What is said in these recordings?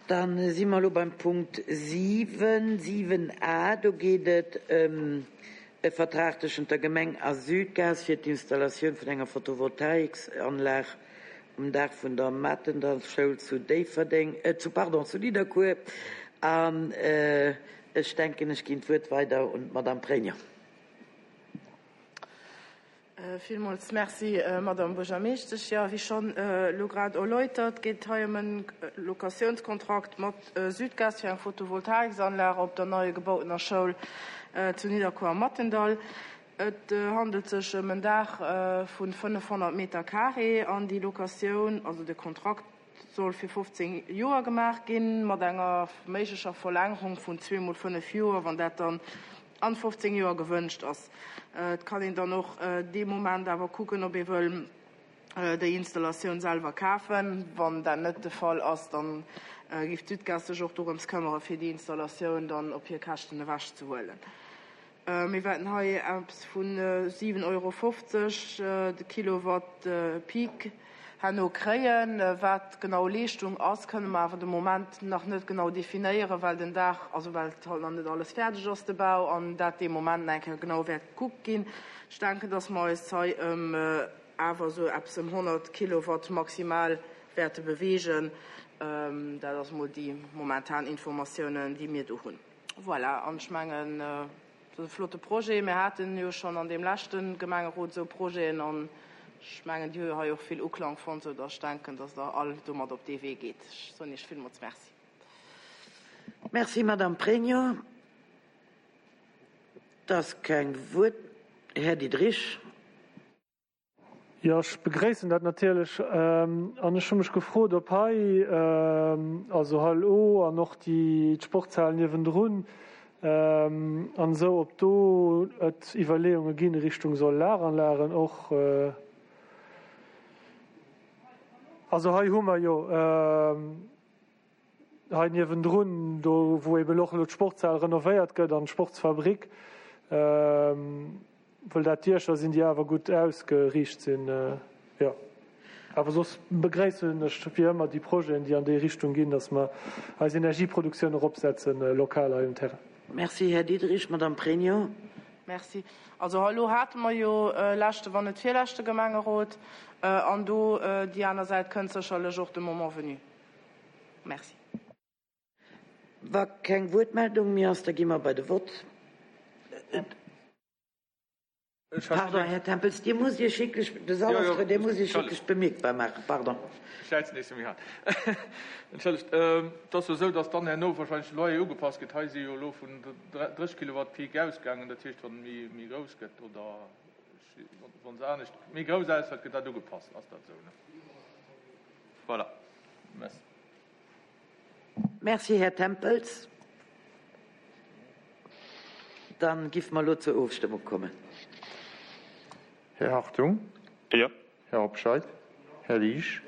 Dann si mer elo beim Punkt 7, 7a. Do geet et ëm e Vertrag tëschent der Gemeng a Südgas fir d'Installatioun vun enger Photovoltaiksanlag um Daach vun der Matendallschoul zu Déifferdeng, zu, pardon, zu Nidderkuer. An ech denken, ech ginn d'Wuert weider un d'Madame Pregno. Villmools Merci, Madame Buergermeeschtesch. Jo, wéi schonn elo grad erläutert, geet et hei ëm e Locatiounskontrakt mat Südgas fir eng Photovoltaiksanlag op der neie gebautener Schoul zu Nidderkuer am Mathendall. Et handelt sech ëm en Daach vu 500 Meter carré an déi Locatioun, also de Kontrakt, soll fir 15 Joer gemaach ginn, mat enger méiglecher Verlängerung vun zweemol fënnef Joer, wann dat dann an 15 Joer gewënscht ass. Et kann een dann och dee Moment awer kucken, ob ee wëll déi Installatioun selwer kafen. Wann dat net de Fall ass, da géif d'Sudgaz sech och dorëms këmmere fir déi Installatioun dann op hir Käschten ewechzehuelen. Mir wäerten hei eppes vu 7,50 Euro de Kilowatt Peak herno kréien. Wat genau Leeschtung ass, kënne mer awer de Moment nach net genau definéieren, well den Daach, also well halt nach net alles fäerdeg ass, de Bau, an dat dee Moment nach eng Kéier genau wäert gekuckt ginn. Ech denken, dass mer eis hei ëm awer esou eppes ëm 100 Kilowatt maximal wäerte beweegen. Dat ass mol déi momentan Informatiounen, déi mir do hunn. Voilà, an ech mengen, et ass e flotte Projet. Mir haten jo schonn an deem leschte Gemengerot esou Projeten an ech mengen, déi hu jo hei och vill Uklang fonnt, soudatt ech denken, datt Der all domat op dee Wee geet. Ech soen Iech villmools Merci. Merci, Madame Pregno. Et ass keng Wuert. Här Diderich. Jo, ech begréissen dat natierlech. An ech hu mech gefrot, ob hei, also Hall O an och déi d'Sportshal niewendrun an esou, ob do et Iwwerleeunge ginn Richtung Solaranlagen och. Also hei hu mer jo. Hei niewendrun, do wou eben och elo d'Sportshal renovéiert gëtt an d'Sportsfabrik, wëll dat Diecher sinn, déi awer gutt ausgeriicht sinn. Jo, awer soss begréissen ech wéi ëmmer déi Projeten, déi an déi Richtung ginn, datt mer eis Energieproduktioun eropsetzen, lokal hei um Terrain. Merci, Här Diderich. Madame Pregno. Merci. Also elo hate mer jo leschte, wann net virleschte Gemengerot, an do déi aner Säit kënnt sécherlech och de Moment venu. Merci. Wa keng Wuertmeldung méi ass, da gi mer bei de Vott. Pardon, Här Tempels, Dir musst Iech wierklech, de Sall ass voll, Dir musst Iech wierklech bemierkbar maachen. Pardon. Ech schäizen nees méi haart. Entschëllegt. Et ass jo esou, datt dann herno wahrscheinlech de Loyer ugepasst gëtt. Hei si jo elo vun 30 Kilowatt Peak ausgaangen. Dat heescht, wann e méi grouss gëtt oder wa se anescht méi grouss ausfält, gëtt dat ugepasst. Ass dat esou, ne? Voilà. Merci. Merci, Här Tempels. Dann giff mer elo zur Ofstëmmung kommen. Här Hartung? Jo. Här Hobscheit? Här Liesch?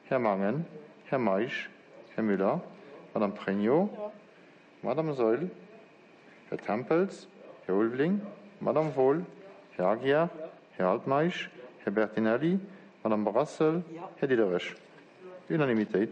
Här Mangen? Här Meisch? Här Müller? Madame Pregno? Madame Saeul? Här Tempels? Här Ulveling? Madame Wohl? Här Aguiar? Här Altmeisch? Här Bertinelli? Madame Brassel? Här Diderich? Unanimitéit.